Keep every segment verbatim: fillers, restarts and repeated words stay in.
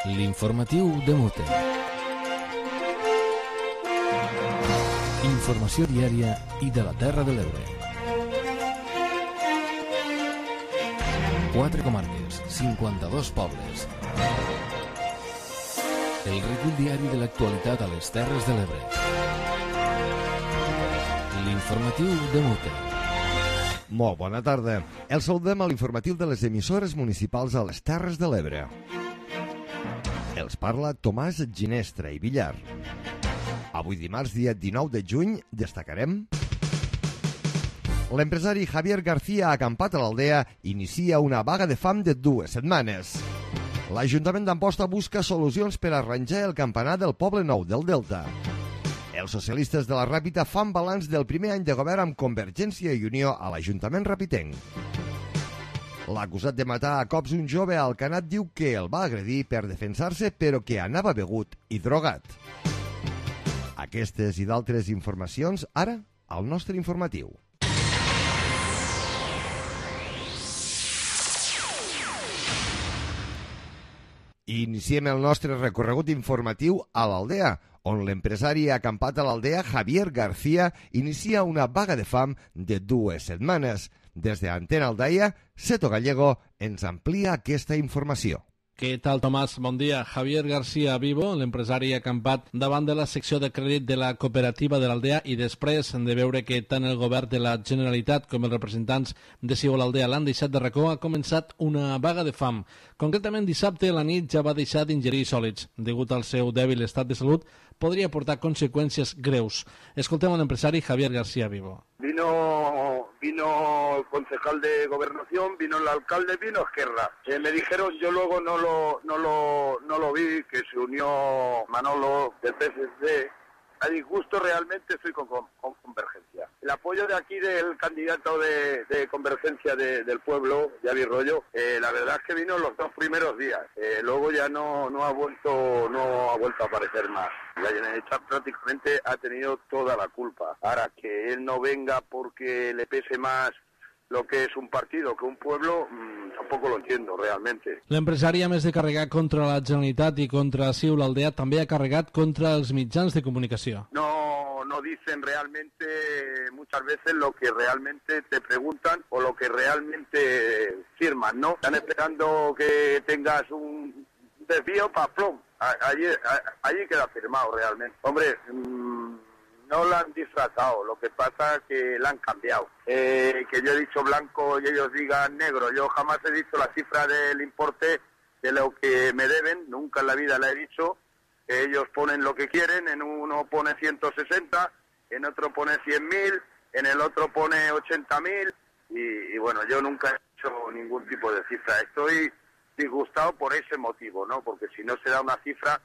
L'informatiu de Mute. Informació diària i de la Terra de l'Ebre. Quatre comarques, cinquanta-dos pobles. El recull diari de l'actualitat a les Terres de l'Ebre. L'informatiu de Mute. Molt bona tarda. El saludem a l'informatiu de les emissores municipals a les Terres de l'Ebre. Els parla Tomàs Ginestra i Villar. Avui dimarts, dia dinou de juny, destacarem... L'empresari Javier García, acampat a l'Aldea, inicia una vaga de fam de dues setmanes. L'Ajuntament d'Amposta busca solucions per arranjar el campanar del Poble Nou del Delta. Els socialistes de la Ràpita fan balanç del primer any de govern amb Convergència i Unió a l'Ajuntament rapitenc. L'acusat de matar a cops un jove a Alcanat diu que el va agredir per defensar-se però que anava begut i drogat. Aquestes i d'altres informacions ara al nostre informatiu. Iniciem el nostre recorregut informatiu a l'Aldea, on l'empresari acampat a l'Aldea, Javier García, inicia una vaga de fam de dues setmanes. Des de Antena Aldaia, Seto Gallego ens amplia aquesta informació. Què tal, Tomàs? Bon dia. Javier García Vivo, l'empresari acampat davant de la secció de crèdit de la cooperativa de l'Aldea i després de veure que tant el govern de la Generalitat com els representants de Sigo l'Aldea l'han deixat de racó, ha començat una vaga de fam. Concretament, dissabte a la nit ja va deixar d'ingerir sòlids. Degut al seu dèbil estat de salut, podria portar conseqüències greus. Escoltem a l'empresari Javier García Vivo. Vino, vino el concejal de Gobernación, vino el alcalde, vino Esquerra. Eh, me dijeron, yo luego no lo, no lo, no lo vi, que se unió Manolo del P S D. A disgusto realmente estoy con, con, con Convergencia. El apoyo de aquí del candidato de, de Convergencia de, del pueblo, Javi Rollo, eh, la verdad es que vino los dos primeros días. Eh, luego ya no, no ha vuelto, no ha vuelto a aparecer más. La Generalitat prácticamente ha tenido toda la culpa. Ahora, que él no venga porque le pese más lo que es un partido que un pueblo, mmm, tampoco lo entiendo realmente. L'empresari, a més de carregar contra la Generalitat i contra Siu l'Aldea, també ha carregat contra els mitjans de comunicació. No, no dicen realmente muchas veces lo que realmente te preguntan o lo que realmente firman, ¿no? Están esperando que tengas un desvío para plom. Allí, allí queda firmado realmente. Hombre, mmm, no la han disfrazado, lo que pasa es que la han cambiado. Eh, que yo he dicho blanco y ellos digan negro. Yo jamás he dicho la cifra del importe de lo que me deben, nunca en la vida la he dicho. Ellos ponen lo que quieren, en uno pone ciento sesenta, en otro pone cien mil, en el otro pone ochenta mil y, y bueno, yo nunca he hecho ningún tipo de cifra. Estoy disgustado por ese motivo, ¿no? Porque si no se da una cifra...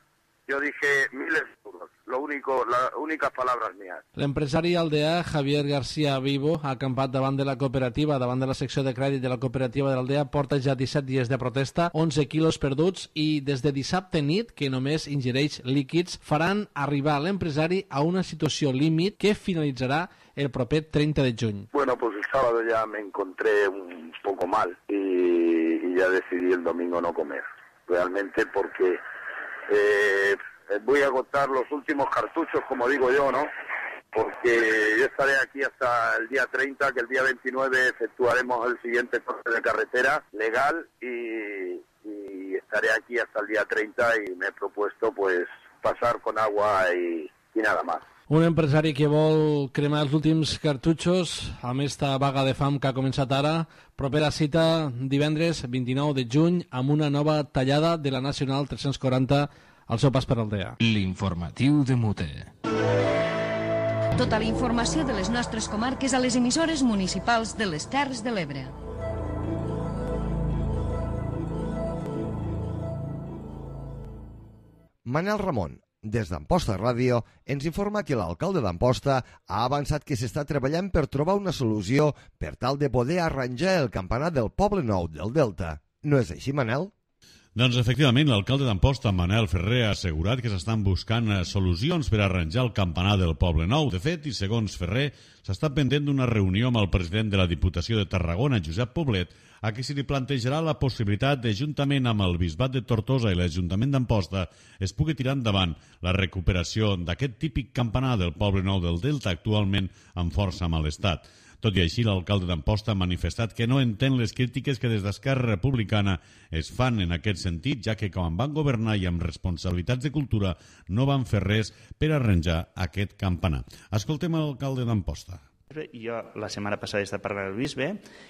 Yo dije miles de euros, lo único, las únicas palabras mías. L'empresari aldeà Javier García Vivo, acampat davant de la cooperativa, davant de la secció de crèdit de la cooperativa de l'Aldea, porta ja disset dies de protesta, onze quilos perduts i des de dissabte nit, que només ingereix líquids, faran arribar l'empresari a una situació límit que finalitzarà el proper treinta de juny. Bueno, pues el sábado ya me encontré un poco mal y, y ya decidí el domingo no comer, realmente porque... Eh, voy a agotar los últimos cartuchos, como digo yo, ¿no? Porque yo estaré aquí hasta el día treinta, que el día veintinueve efectuaremos el siguiente corte de carretera legal y, y estaré aquí hasta el día treinta y me he propuesto pues pasar con agua y, y nada más. Un empresari que vol cremar els últims cartutxos amb esta vaga de fam que ha començat ara. Propera cita divendres vint-i-nou de juny amb una nova tallada de la Nacional tres-cents quaranta al seu pas per Aldea. L'informatiu de Mute. Tota la informació de les nostres comarques a les emissores municipals de les Terres de l'Ebre. Manel Ramon, des d'Amposta Ràdio, ens informa que l'alcalde d'Amposta ha avançat que s'està treballant per trobar una solució per tal de poder arranjar el campanar del Poble Nou del Delta. No és així, Manel? Doncs efectivament, l'alcalde d'Amposta, Manel Ferrer, ha assegurat que s'estan buscant solucions per arranjar el campanar del Poble Nou. De fet, i segons Ferrer, s'està pendent d'una reunió amb el president de la Diputació de Tarragona, Josep Poblet, a qui se li plantejarà la possibilitat de, juntament amb el Bisbat de Tortosa i l'Ajuntament d'Amposta, es pugui tirar endavant la recuperació d'aquest típic campanar del Poble Nou del Delta, actualment en força mal estat. Tot i així, l'alcalde d'Amposta ha manifestat que no entén les crítiques que des d'Esquerra Republicana es fan en aquest sentit, ja que quan van governar i amb responsabilitats de cultura no van fer res per arranjar aquest campanar. Escoltem l'alcalde d'Amposta. Jo la setmana passada he estat parlant amb el bisbe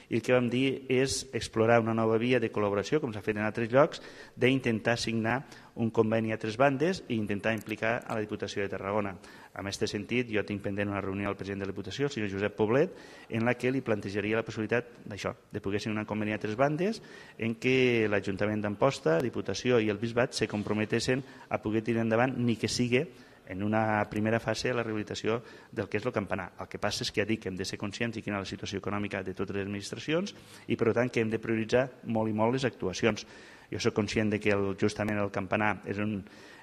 i el que vam dir és explorar una nova via de col·laboració, com s'ha fet en altres llocs, d'intentar signar un conveni a tres bandes i intentar implicar a la Diputació de Tarragona. En aquest sentit, jo tinc pendent una reunió al president de la Diputació, el senyor Josep Poblet, en la que li plantejaria la possibilitat d'això, de poder signar un conveni a tres bandes en què l'Ajuntament d'Amposta, la Diputació i el Bisbat se comprometessin a poder tirar endavant ni que sigui en una primera fase la rehabilitació del que és el campanar. El que passa és que ja dic que hem de ser conscients de quina és la situació econòmica de totes les administracions i, per tant, que hem de prioritzar molt i molt les actuacions. Jo soc conscient de que el, justament el campanar és un,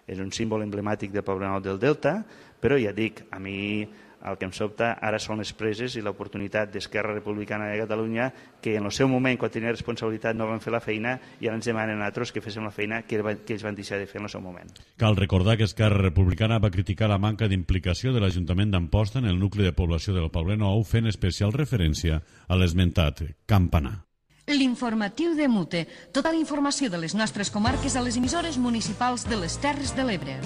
és un símbol emblemàtic del Poble Nou del Delta, però ja dic, a mi el que em sobta ara són les preses i l'oportunitat d'Esquerra Republicana de Catalunya que en el seu moment, quan tenia responsabilitat, no van fer la feina i ara ens demanen a altres que féssim la feina que ells van deixar de fer en el seu moment. Cal recordar que Esquerra Republicana va criticar la manca d'implicació de l'Ajuntament d'Amposta en el nucli de població del Poble Nou, fent especial referència a l'esmentat campanar. L'informatiu de Mute. Tota la informació de les nostres comarques a les emissores municipals de les Terres de l'Ebre.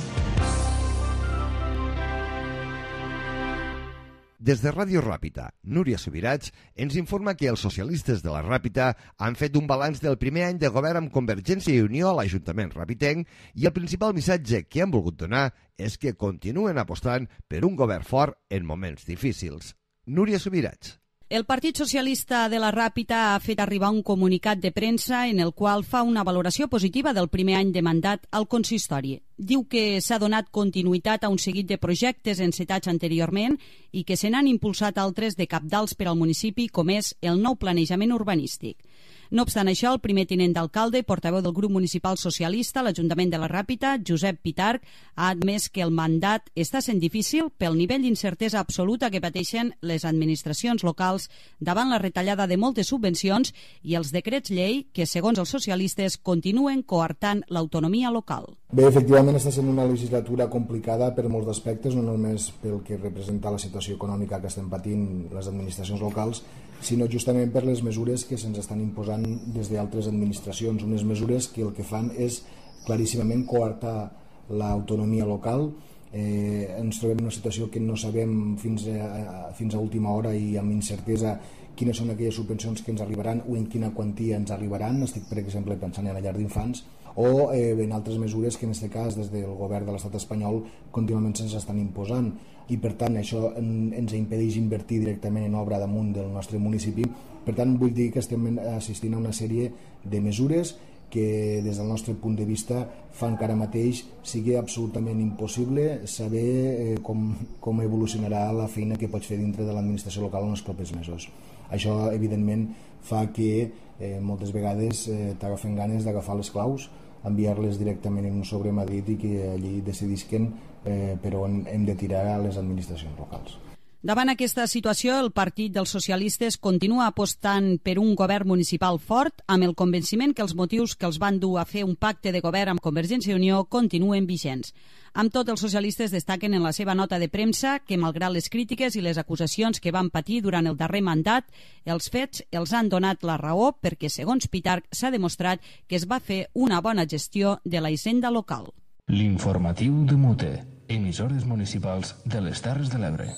Des de Ràdio Ràpita, Núria Subirats ens informa que els socialistes de la Ràpita han fet un balanç del primer any de govern amb Convergència i Unió a l'Ajuntament ràpitenc i el principal missatge que han volgut donar és que continuen apostant per un govern fort en moments difícils. Núria Subirats. El Partit Socialista de la Ràpita ha fet arribar un comunicat de premsa en el qual fa una valoració positiva del primer any de mandat al consistori. Diu que s'ha donat continuïtat a un seguit de projectes encetats anteriorment i que se n'han impulsat altres de cabdals per al municipi, com és el nou planejament urbanístic. No obstant això, el primer tinent d'alcalde i portaveu del grup municipal socialista a l'Ajuntament de la Ràpita, Josep Pitarch, ha admès que el mandat està sent difícil pel nivell d'incertesa absoluta que pateixen les administracions locals davant la retallada de moltes subvencions i els decrets llei que, segons els socialistes, continuen coartant l'autonomia local. Bé, efectivament està sent una legislatura complicada per molts aspectes, no només pel que representa la situació econòmica que estem patint les administracions locals, sinó justament per les mesures que se'ns estan imposant des d'altres administracions, unes mesures que el que fan és claríssimament coartar l'autonomia local. Eh, ens trobem en una situació que no sabem fins a, fins a última hora i amb incertesa quines són aquelles subvencions que ens arribaran o en quina quantia ens arribaran. Estic, per exemple, pensant en la llar d'infants o eh, en altres mesures que en aquest cas des del govern de l'estat espanyol contínuament se'ns estan imposant i per tant això en, ens impedeix invertir directament en obra damunt del nostre municipi. Per tant vull dir que estem assistint a una sèrie de mesures que des del nostre punt de vista fan que ara mateix sigui absolutament impossible saber eh, com, com evolucionarà la feina que pots fer dintre de l'administració local en els propers mesos. Això evidentment fa que eh, moltes vegades eh, t'agafen ganes d'agafar les claus, enviar-les directament en un sobre Madrid i que allí decidisquen eh, per on hem de tirar a les administracions locals. Davant aquesta situació, el Partit dels Socialistes continua apostant per un govern municipal fort amb el convenciment que els motius que els van dur a fer un pacte de govern amb Convergència i Unió continuen vigents. Amb tot, els socialistes destaquen en la seva nota de premsa que, malgrat les crítiques i les acusacions que van patir durant el darrer mandat, els fets els han donat la raó perquè, segons Pitarch, s'ha demostrat que es va fer una bona gestió de la hisenda local. L'informatiu de Mute, emissores municipals de les Terres de l'Ebre.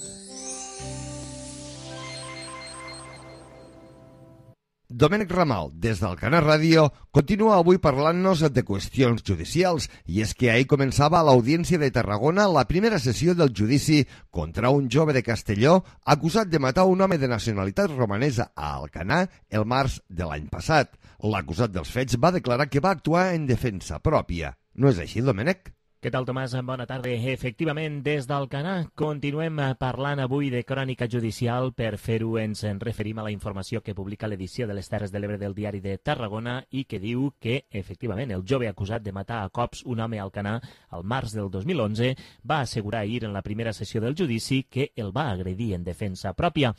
Domènec Ramal, des del Canal Ràdio, continua avui parlant-nos de qüestions judicials i és que ahir començava a l'Audiència de Tarragona la primera sessió del judici contra un jove de Castelló acusat de matar un home de nacionalitat romanesa a Alcanar el març de l'any passat. L'acusat dels fets va declarar que va actuar en defensa pròpia. No és així, Domènec? Què tal, Tomàs? Bona tarda. Efectivament, des d'Alcanar continuem parlant avui de crònica judicial. Per fer-ho ens en referim a la informació que publica l'edició de les Terres de l'Ebre del Diari de Tarragona i que diu que, efectivament, el jove acusat de matar a cops un home a Alcanar al març del dos mil onze va assegurar ahir en la primera sessió del judici que el va agredir en defensa pròpia.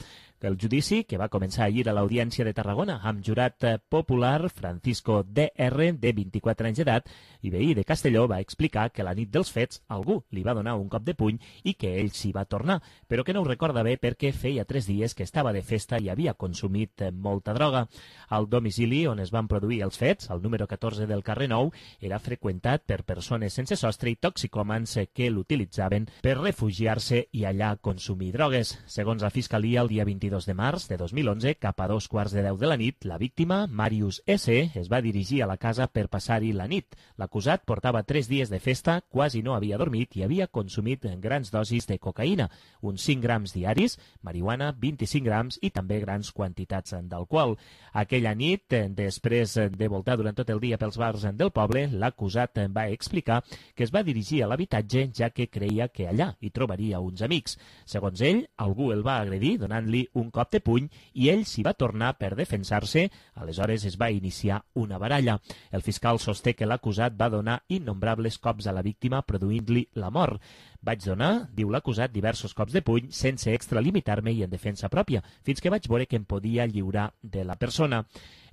El judici, que va començar ahir a l'Audiència de Tarragona amb jurat popular Francisco D R, de vint-i-quatre anys d'edat, i veí de Castelló, va explicar que la nit dels fets algú li va donar un cop de puny i que ell s'hi va tornar, però que no ho recorda bé perquè feia tres dies que estava de festa i havia consumit molta droga. Al domicili on es van produir els fets, el número catorze del carrer Nou, era freqüentat per persones sense sostre i toxicòmans que l'utilitzaven per refugiar-se i allà consumir drogues. Segons la Fiscalia, el dia vint-i-dos de març de dos mil onze, cap a dos quarts de deu de la nit, la víctima, Màrius S., es va dirigir a la casa per passar-hi la nit. L'acusat portava tres dies de festa, quasi no havia dormit i havia consumit grans dosis de cocaïna, uns cinc grams diaris, marihuana, vint-i-cinc grams i també grans quantitats d'alcohol. Aquella nit, després de voltar durant tot el dia pels bars del poble, l'acusat va explicar que es va dirigir a l'habitatge ja que creia que allà hi trobaria uns amics. Segons ell, algú el va agredir donant-li un cop de puny i ell s'hi va tornar per defensar-se. Aleshores es va iniciar una baralla. El fiscal sosté que l'acusat va donar innombrables cops a la víctima, produint-li la mort. Vaig donar, diu l'acusat, diversos cops de puny sense extralimitar-me i en defensa pròpia, fins que vaig veure que em podia lliurar de la persona.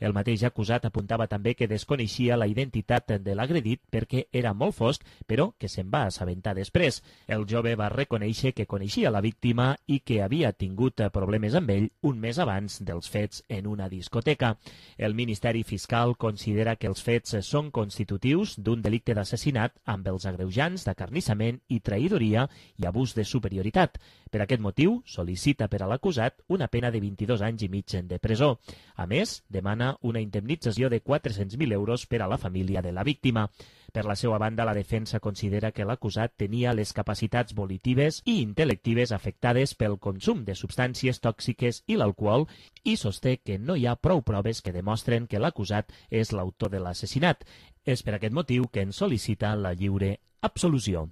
El mateix acusat apuntava també que desconeixia la identitat de l'agredit perquè era molt fosc, però que se'n va assabentar després. El jove va reconèixer que coneixia la víctima i que havia tingut problemes amb ell un mes abans dels fets en una discoteca. El Ministeri Fiscal considera que els fets són constitutius d'un delicte d'assassinat amb els agreujants d'acarnissament i traïdoria i abús de superioritat. Per aquest motiu, sol·licita per a l'acusat una pena de vint-i-dos anys i mig de presó. A més, demana una indemnització de quatre-cents mil euros per a la família de la víctima. Per la seva banda, la defensa considera que l'acusat tenia les capacitats volitives i intel·lectives afectades pel consum de substàncies tòxiques i l'alcohol i sosté que no hi ha prou proves que demostren que l'acusat és l'autor de l'assassinat. És per aquest motiu que en sol·licita la lliure absolució.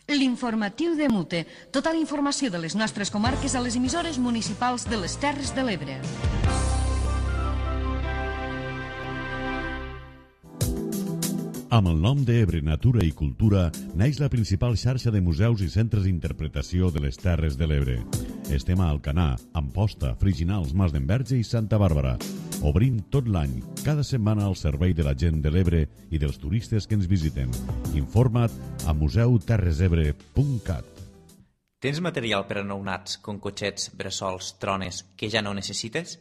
L'informatiu de Mute. Tota la informació de les nostres comarques a les emissores municipals de les Terres de l'Ebre. Amb el nom d'Ebre Natura i Cultura naix la principal xarxa de museus i centres d'interpretació de les Terres de l'Ebre. Estem a Alcanar, Amposta, Friginals, Mas d'Enverge i Santa Bàrbara. Obrim tot l'any, cada setmana al servei de la gent de l'Ebre i dels turistes que ens visiten. Informa't a museu terres ebre punt cat. Tens material per a nounats, com cotxets, bressols, trones, que ja no necessites?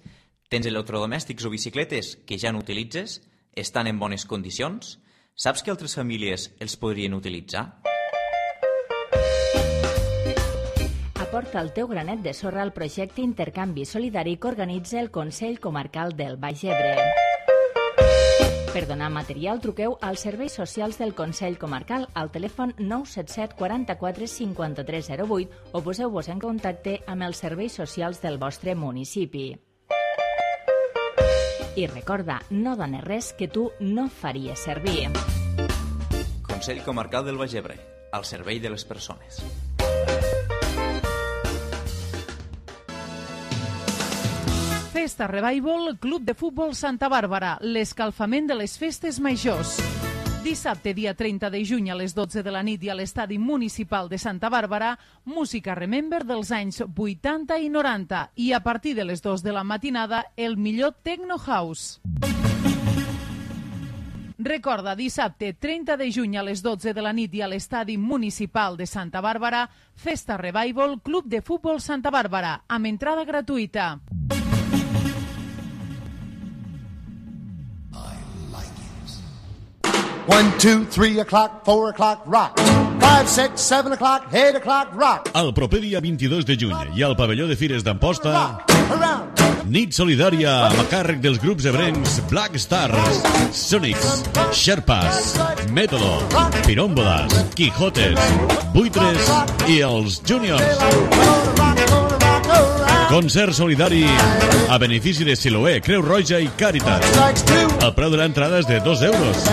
Tens electrodomèstics o bicicletes que ja no utilitzes? Estan en bones condicions? Saps que altres famílies els podrien utilitzar? Aporta el teu granet de sorra al projecte Intercanvi Solidari que organitza el Consell Comarcal del Baix Ebre. Per donar material, truqueu als serveis socials del Consell Comarcal al telèfon nou set set quaranta-quatre cinquanta-tres zero vuit o poseu-vos en contacte amb els serveis socials del vostre municipi. I recorda, no dones res que tu no faries servir. Consell Comarcal del Baix Ebre, al servei de les persones. Festa Revival, Club de Futbol Santa Bàrbara, l'escalfament de les festes majors. Dissabte, dia trenta de juny a les dotze de la nit i a l'estadi municipal de Santa Bàrbara, música Remember dels anys vuitanta i noranta i a partir de les dues de la matinada el millor Techno House. Recorda, dissabte trenta de juny a les dotze de la nit i a l'estadi municipal de Santa Bàrbara, Festa Revival, Club de Futbol Santa Bàrbara, amb entrada gratuïta. One, two, three o'clock, four o'clock, rock. Five, six, seven o'clock, eight o'clock, rock. El proper dia vint-i-dos de juny i al pavelló de Fires d'Amposta, nit solidària amb a càrrec dels grups ebrencs Black Stars, Sonics, Sherpas, Método, Pirómbolas, Quijotes, Buitres i els Juniors. Concert solidari a benefici de Siloé, Creu Roja i Càritas. El preu de l'entrada és de dos euros.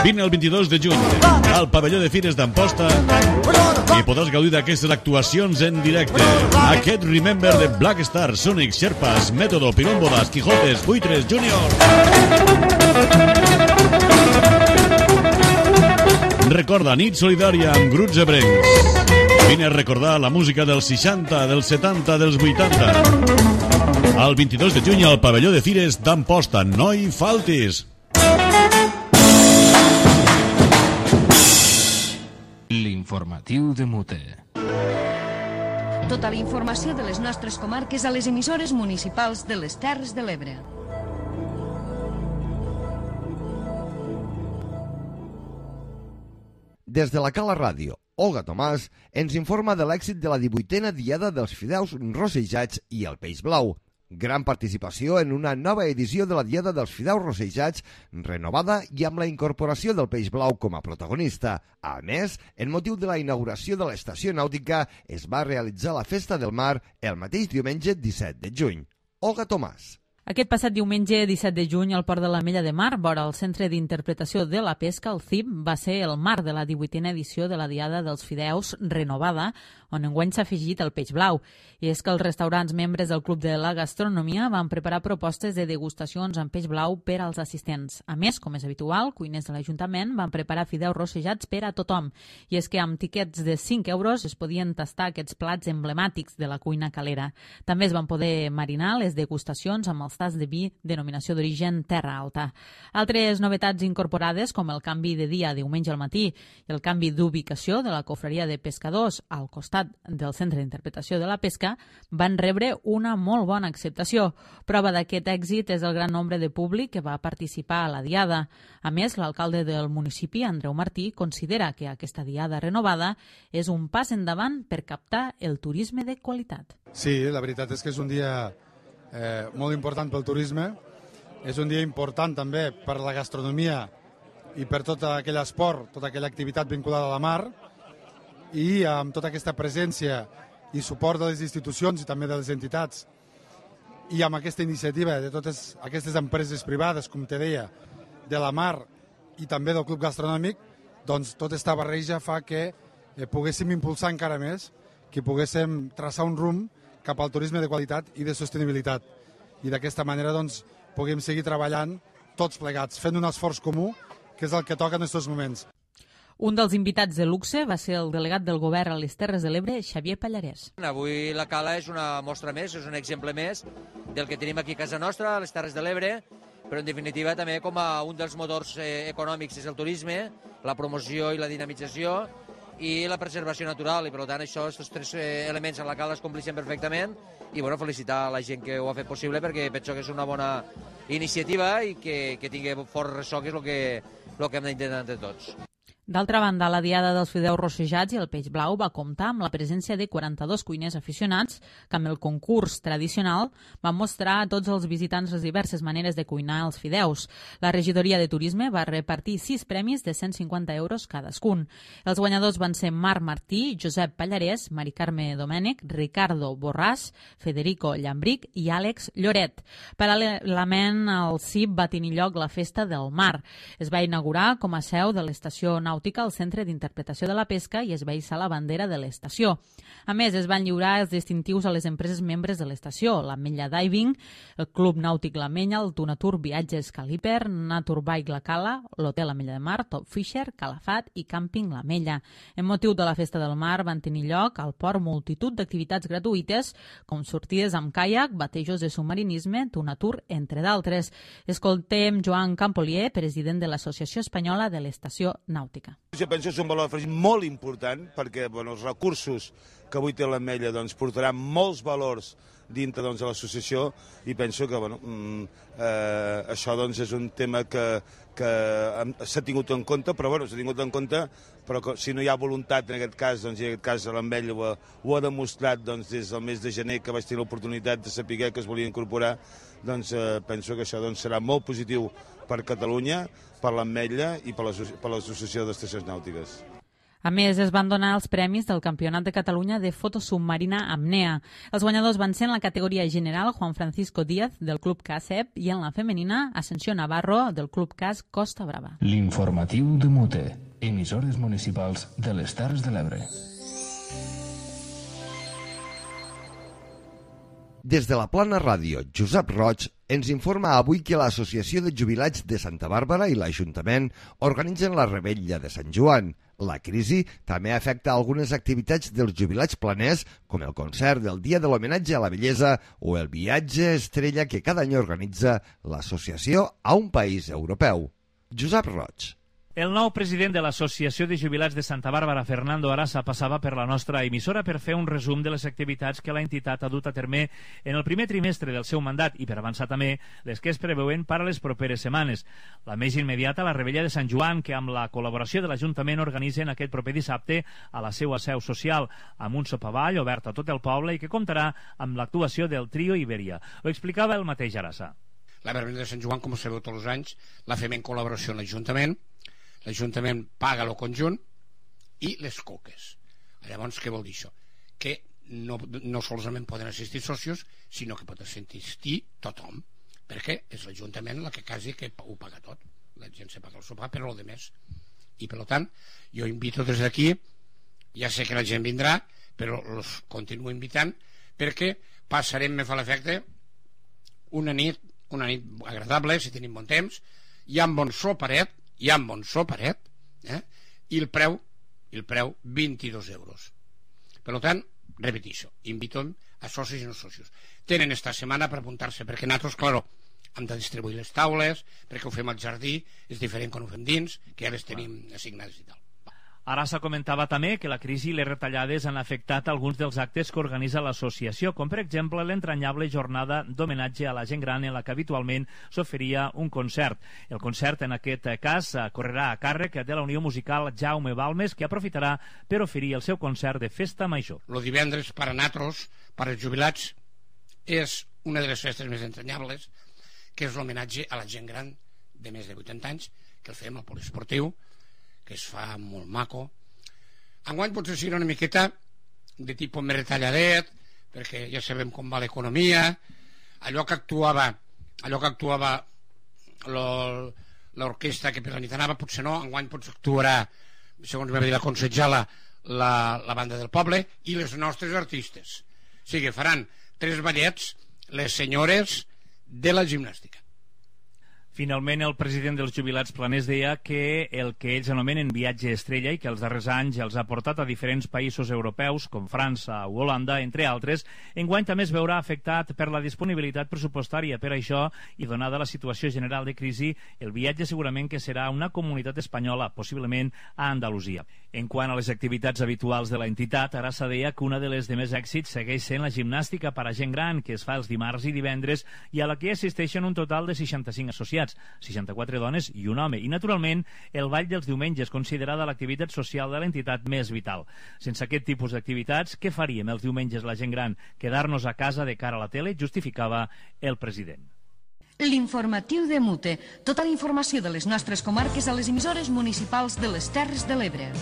Vine el vint-i-dos de juny al pavelló de Fires d'Amposta i podràs gaudir d'aquestes actuacions en directe. Aquest Remember de Black Star, Sonic, Sherpas, Método, Pirómbodas, Quijotes, Buitres, Junior. Recorda, nit solidària amb grups ebrencs. Vine a recordar la música dels seixanta, dels setanta, dels vuitanta. El vint-i-dos de juny al pavelló de Fires d'Amposta. No hi faltis! L'informatiu de Mute. Tota la informació de les nostres comarques a les emissores municipals de les Terres de l'Ebre. Des de la Cala Ràdio, Olga Tomàs ens informa de l'èxit de la divuitena Diada dels Fideus Rossejats i el Peix Blau. Gran participació en una nova edició de la Diada dels Fideus Rossejats, renovada i amb la incorporació del Peix Blau com a protagonista. A més, en motiu de la inauguració de l'estació nàutica, es va realitzar la Festa del Mar el mateix diumenge disset de juny. Olga Tomàs. Aquest passat diumenge disset de juny al Port de l'Ametlla de Mar, vora el Centre d'Interpretació de la Pesca, el C I P, va ser el marc de la divuitena edició de la Diada dels Fideus renovada, on enguany s'ha afegit el peix blau. I és que els restaurants membres del Club de la Gastronomia van preparar propostes de degustacions amb peix blau per als assistents. A més, com és habitual, cuiners de l'Ajuntament van preparar fideus rossejats per a tothom. I és que amb tiquets de cinc euros es podien tastar aquests plats emblemàtics de la cuina calera. També es van poder marinar les degustacions amb els tas de vi denominació d'origen Terra Alta. Altres novetats incorporades, com el canvi de dia diumenge al matí i el canvi d'ubicació de la cofreria de pescadors al costat del Centre d'Interpretació de la Pesca, van rebre una molt bona acceptació. Prova d'aquest èxit és el gran nombre de públic que va participar a la Diada. A més, l'alcalde del municipi, Andreu Martí, considera que aquesta Diada renovada és un pas endavant per captar el turisme de qualitat. Sí, la veritat és que és un dia eh, molt important pel turisme, és un dia important també per la gastronomia i per tot aquell esport, tota aquella activitat vinculada a la mar, i amb tota aquesta presència i suport de les institucions i també de les entitats i amb aquesta iniciativa de totes aquestes empreses privades, com te deia, de la mar i també del Club Gastronòmic, doncs tota aquesta barreja fa que eh, poguéssim impulsar encara més, que poguéssim traçar un rumb cap al turisme de qualitat i de sostenibilitat. I d'aquesta manera doncs, puguem seguir treballant tots plegats, fent un esforç comú, que és el que toca en aquests moments. Un dels invitats de luxe va ser el delegat del govern a les Terres de l'Ebre, Xavier Pallarès. Avui la Cala és una mostra més, és un exemple més del que tenim aquí a casa nostra, a les Terres de l'Ebre, però en definitiva també com a un dels motors eh, econòmics és el turisme, la promoció i la dinamització i la preservació natural, i per tant això, aquests tres eh, elements a la Cala es compleixen perfectament i bueno, felicitar a la gent que ho ha fet possible perquè penso que és una bona iniciativa i que, que tingui fort ressò, que és el que, el que hem d'intentar entre tots. D'altra banda, la Diada dels Fideus Rossejats i el Peix Blau va comptar amb la presència de quaranta-dos cuiners aficionats que amb el concurs tradicional van mostrar a tots els visitants les diverses maneres de cuinar els fideus. La regidoria de turisme va repartir sis premis de cent cinquanta euros cadascun. Els guanyadors van ser Marc Martí, Josep Pallarès, Mari Carme Domènech, Ricardo Borràs, Federico Llambric i Àlex Lloret. Paral·lelament al C I P va tenir lloc la Festa del Mar. Es va inaugurar com a seu de l'estació nàutica al Centre d'Interpretació de la Pesca i es va hissar la bandera de l'estació. A més, es van lliurar els distintius a les empreses membres de l'estació, l'Ametlla Diving, el Club Nàutic L'Ametlla, el Tunatur Viatges Caliper, Naturbike La Cala, l'Hotel Ametlla de Mar, Top Fisher, Calafat i Càmping L'Ametlla. En motiu de la Festa del Mar van tenir lloc al port multitud d'activitats gratuïtes, com sortides amb caiac, batejos de submarinisme, Tunatur, entre d'altres. Escoltem Joan Campolier, president de l'Associació Espanyola de l'Estació Nàutica. Jo penso que és un valor afegit molt important perquè bueno, els recursos que avui té l'Ametlla doncs, portaran molts valors dintre doncs, de l'associació i penso que bueno, eh, això doncs, és un tema que, que s'ha tingut en compte, però bueno, s'ha tingut en compte, però que, si no hi ha voluntat en aquest cas, doncs, i en aquest cas l'Ametlla ho, ho ha demostrat doncs, des del mes de gener que vaig tenir l'oportunitat de saber que es volia incorporar, doncs eh, penso que això doncs, serà molt positiu per Catalunya, per l'Ametlla i per l'Associació d'Estacions Nàutiques. A més, es van donar els premis del Campionat de Catalunya de foto submarina Apnea. Els guanyadors van ser en la categoria general Juan Francisco Díaz, del Club C A S E P, i en la femenina Ascensió Navarro, del Club C A S Costa Brava. L'informatiu de Mute, emissores municipals de les Terres de l'Ebre. Des de la Plana Ràdio, Josep Roig ens informa avui que l'Associació de Jubilats de Santa Bàrbara i l'Ajuntament organitzen la Rebella de Sant Joan. La crisi també afecta algunes activitats dels jubilats planers, com el concert del Dia de l'Homenatge a la Bellesa o el viatge estrella que cada any organitza l'associació a un país europeu. Josep Roig. El nou president de l'Associació de Jubilats de Santa Bàrbara, Fernando Arasa, passava per la nostra emissora per fer un resum de les activitats que l'entitat ha dut a terme en el primer trimestre del seu mandat i per avançar també les que es preveuen per a les properes setmanes. La més immediata, la Rebella de Sant Joan, que amb la col·laboració de l'Ajuntament organitzen aquest proper dissabte a la seva seu social, amb un sopavall obert a tot el poble i que comptarà amb l'actuació del Trio Iberia. Ho explicava el mateix Arasa. La Rebella de Sant Joan, com sabeu tots els anys, la fem en col·laboració amb l'Ajuntament. L'Ajuntament paga el conjunt i les coques. Llavors, què vol dir això? Que no, no solament poden assistir socios, sinó que pot assistir tothom, perquè és l'Ajuntament la que quasi que ho paga tot. La gent se paga el sopar, però el de més. I per tant, jo invito des d'aquí, ja sé que la gent vindrà, però els continuo invitant, perquè passarem, me fa l'efecte, una nit, una nit agradable, si tenim bon temps, hi ha un bon soparet, hi ha un bon soparet, eh? i el preu, el preu vint-i-dos euros. Per tant, repetixo, invito a socis i no socis. Tenen esta setmana per apuntar-se, perquè nosaltres, claro, hem de distribuir les taules, perquè ho fem al jardí, és diferent quan ho fem dins, que ja les tenim assignades i tal. Arasa comentava també que la crisi i les retallades han afectat alguns dels actes que organitza l'associació, com per exemple l'entranyable jornada d'homenatge a la gent gran en la que habitualment s'oferia un concert. El concert, en aquest cas, correrà a càrrec de la Unió Musical Jaume Balmes, que aprofitarà per oferir el seu concert de festa major. El divendres, per a nosaltres, per als jubilats, és una de les festes més entranyables, que és l'homenatge a la gent gran de més de vuitanta anys, que el fem al poliesportiu, que es fa molt maco. Enguany potser serà una miqueta de tipus més retalladet, perquè ja sabem com va l'economia. Allò que actuava allò que actuava l'orquestra que per la nit anava, potser no. Enguany potser actuarà, segons va dir la consejala, la, la banda del poble i les nostres artistes. O sigui, faran tres ballets les senyores de la gimnàstica. Finalment, el president dels jubilats planers deia que el que ells anomenen viatge estrella i que els darrers anys els ha portat a diferents països europeus, com França o Holanda, entre altres, enguany també es veurà afectat per la disponibilitat pressupostària. Per això, i donada la situació general de crisi, el viatge segurament que serà una comunitat espanyola, possiblement a Andalusia. En quant a les activitats habituals de l'entitat, Arasa deia que una de les de més èxits segueix sent la gimnàstica per a gent gran, que es fa els dimarts i divendres i a la que assisteixen un total de seixanta-cinc associats, seixanta-quatre dones i un home, i naturalment el ball dels diumenges, considerada l'activitat social de l'entitat més vital. Sense aquest tipus d'activitats, què faríem els diumenges la gent gran? Quedar-nos a casa de cara a la tele, justificava el president. L'informatiu de Mute. Tota la informació de les nostres comarques a les emissores municipals de les Terres de l'Ebre.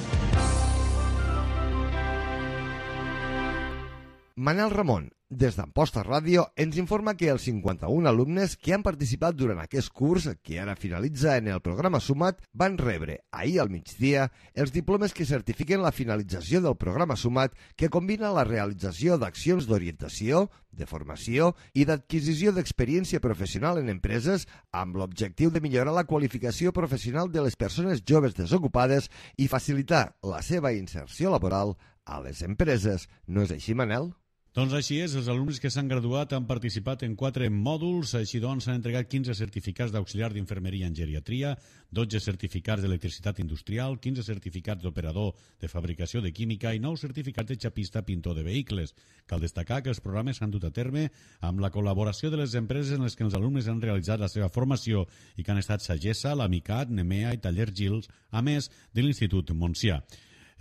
Manel Ramon, des d'Amposta Ràdio, ens informa que els cinquanta-un alumnes que han participat durant aquest curs, que ara finalitza en el programa Sumat, van rebre ahir al migdia els diplomes que certifiquen la finalització del programa Sumat, que combina la realització d'accions d'orientació, de formació i d'adquisició d'experiència professional en empreses amb l'objectiu de millorar la qualificació professional de les persones joves desocupades i facilitar la seva inserció laboral a les empreses. No és així, Manel? Doncs així és, els alumnes que s'han graduat han participat en quatre mòduls, així doncs s'han entregat quinze certificats d'auxiliar d'infermeria en geriatria, dotze certificats d'electricitat industrial, quinze certificats d'operador de fabricació de química i nou certificats de xapista pintor de vehicles. Cal destacar que els programes s'han dut a terme amb la col·laboració de les empreses en les que els alumnes han realitzat la seva formació i que han estat Sagessa, l'Amicat, Nemea i Taller Gils, a més de l'Institut Montsià.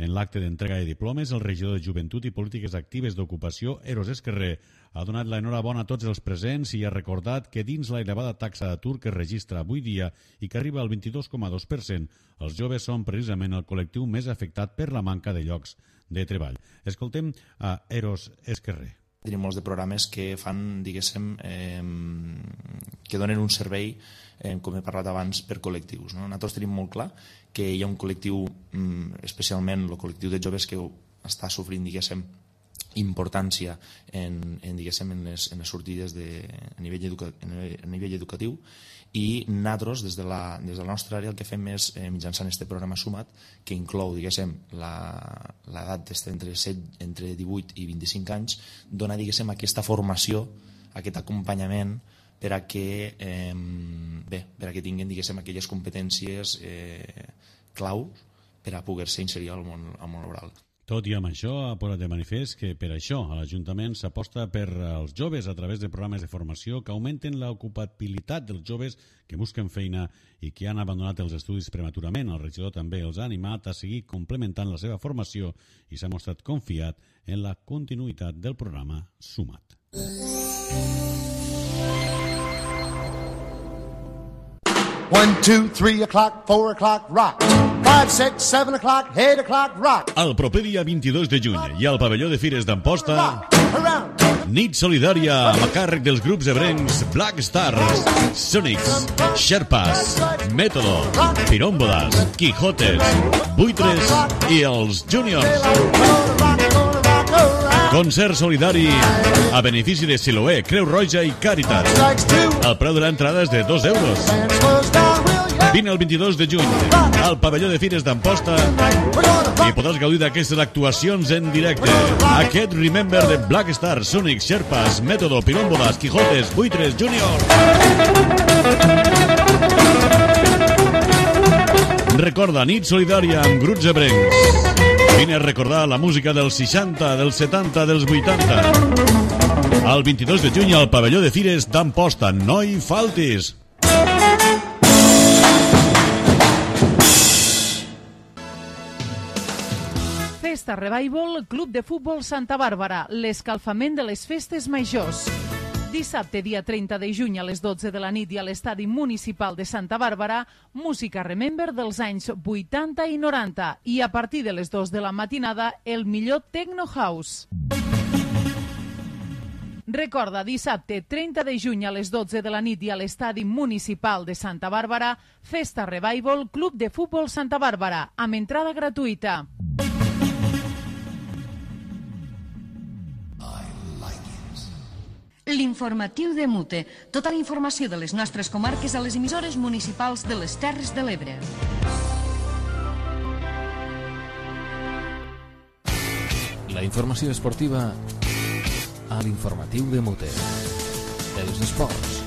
En l'acte d'entrega de diplomes, el regidor de Joventut i Polítiques Actives d'Ocupació, Eros Esquerrer, ha donat l'enhorabona a tots els presents i ha recordat que dins la elevada taxa d'atur que es registra avui dia i que arriba al vint-i-dos coma dos per cent, els joves són precisament el col·lectiu més afectat per la manca de llocs de treball. Escoltem a Eros Esquerrer. Tenim molts de programes que fan, diguéssim, eh, que donen un servei, eh, com he parlat abans, per col·lectius. No? Nosaltres tenim molt clar que hi ha un col·lectiu, especialment el col·lectiu de joves, que està sofrint, diguéssim, importància en, en, diguéssim, en, les, en les sortides de, a, nivell educa, a nivell educatiu, i nosaltres, des de la, des de la nostra àrea, el que fem és, eh, mitjançant aquest programa Sumat, que inclou, diguéssim, l'edat entre, entre divuit i vint-i-cinc anys, donar, diguéssim, aquesta formació, aquest acompanyament, per a que, eh, bé, per a que tinguin, diguéssim, aquelles competències eh, clau per a poder-se inserir al món, al món laboral. Tot i amb això, ha posat de manifest que per això a l'Ajuntament s'aposta per als joves a través de programes de formació que augmenten l'ocupabilitat dels joves que busquen feina i que han abandonat els estudis prematurament. El regidor també els ha animat a seguir complementant la seva formació i s'ha mostrat confiat en la continuïtat del programa Sumat. One, two, three o'clock, four o'clock, rock. Five, six, seven o'clock, eight o'clock, rock. El proper dia vint-i-dos de juny i al pavelló de Fires d'Amposta, nit solidària a càrrec dels grups ebrencs Black Stars, Sonics, Sherpas, Método, Pirómbodas, Quijotes, Buitres i els Juniors. Concert solidari a benefici de Siloé, Creu Roja i Càritas. El preu de l'entrada és de dos euros. Vine el vint-i-dos de juny al pavelló de Fires d'Amposta i podràs gaudir d'aquestes actuacions en directe. Aquest Remember de Black Stars, Sonic, Sherpas, Método, Pirómbodas, Quijotes, Buitres, Junior. Recorda, nit solidària amb grups ebrencs. Vine a recordar la música dels seixanta, dels setanta, dels vuitanta. El vint-i-dos de juny al pavelló de Fires d'Amposta. No hi faltis! Festa Revival, Club de Futbol Santa Bàrbara, l'escalfament de les festes majors. Dissabte, dia trenta de juny a les dotze de la nit i a l'Estadi Municipal de Santa Bàrbara, música Remember dels anys vuitanta i noranta i a partir de les dues de la matinada el millor Techno House. Recorda, dissabte trenta de juny a les dotze de la nit i a l'Estadi Municipal de Santa Bàrbara, Festa Revival, Club de Futbol Santa Bàrbara, amb entrada gratuïta. L'informatiu de Mute. Tota la informació de les nostres comarques a les emissores municipals de les Terres de l'Ebre. La informació esportiva a l'informatiu de Mute. Els esports.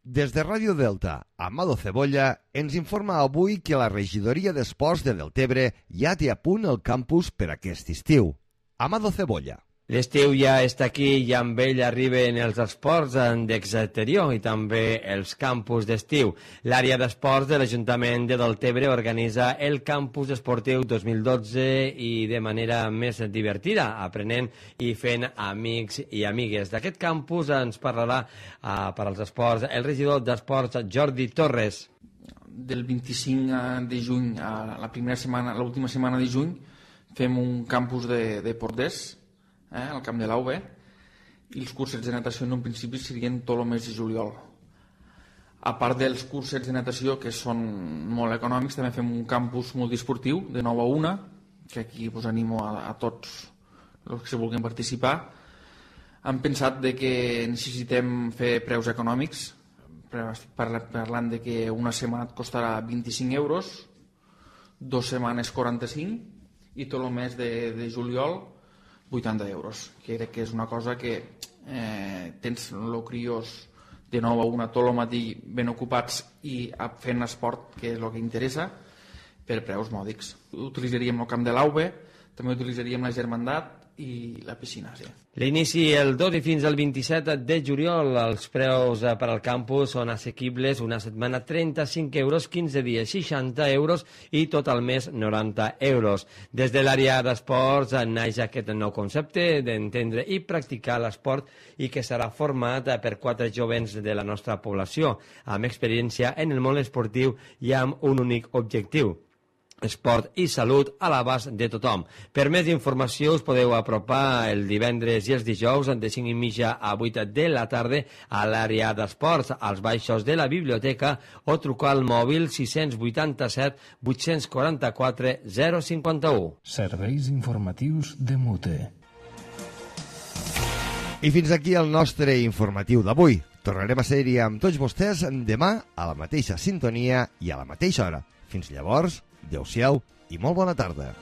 Des de Ràdio Delta, Amado Cebolla ens informa avui que la regidoria d'Esports de Deltebre ja té a punt el campus per aquest estiu. Amado Cebolla. L'estiu ja està aquí i amb ell arriben els esports d'exterior i també els campus d'estiu. L'àrea d'esports de l'Ajuntament de Deltebre organitza el campus esportiu dos mil dotze i de manera més divertida, aprenent i fent amics i amigues. D'aquest campus ens parlarà uh, per als esports el regidor d'Esports Jordi Torres. Del vint-i-cinc de juny a la primera setmana, l'última setmana de juny, fem un campus de, de porters, Eh, al camp de l'A U B, i els cursets de natació en un principi serien tot el mes de juliol. A part dels cursets de natació, que són molt econòmics, també fem un campus multiesportiu de nou a una, que aquí pues, animo a, a tots els que se vulguin participar. Hem pensat de que necessitem fer preus econòmics, parlant de que una setmana et costarà vint-i-cinc euros, dues setmanes quaranta-cinc i tot el mes de, de juliol vuitanta euros, que crec que és una cosa que eh, tens el criós de nou a una tot el matí ben ocupats i fent esport, que és el que interessa, per preus mòdics. Utilitzaríem el camp de l'A U B, també utilitzaríem la Germandat i la piscina, sí. L'inici el dos i fins al vint-i-set de juliol. Els preus per al campus són assequibles, una setmana trenta-cinc euros, quinze dies seixanta euros i tot el mes noranta euros. Des de l'àrea d'esports naix aquest nou concepte d'entendre i practicar l'esport i que serà format per quatre jovens de la nostra població, amb experiència en el món esportiu i amb un únic objectiu: esport i salut a l'abast de tothom. Per més informació us podeu apropar el divendres i els dijous de cinc i mitja a vuit de la tarda a l'àrea d'esports, als baixos de la biblioteca, o trucar al mòbil sis vuitanta-set vuit quaranta-quatre zero cinquanta-u. Serveis informatius de Mute. I fins aquí el nostre informatiu d'avui. Tornarem a ser-hi amb tots vostès demà a la mateixa sintonia i a la mateixa hora. Fins llavors, adéu-siau i molt bona tarda.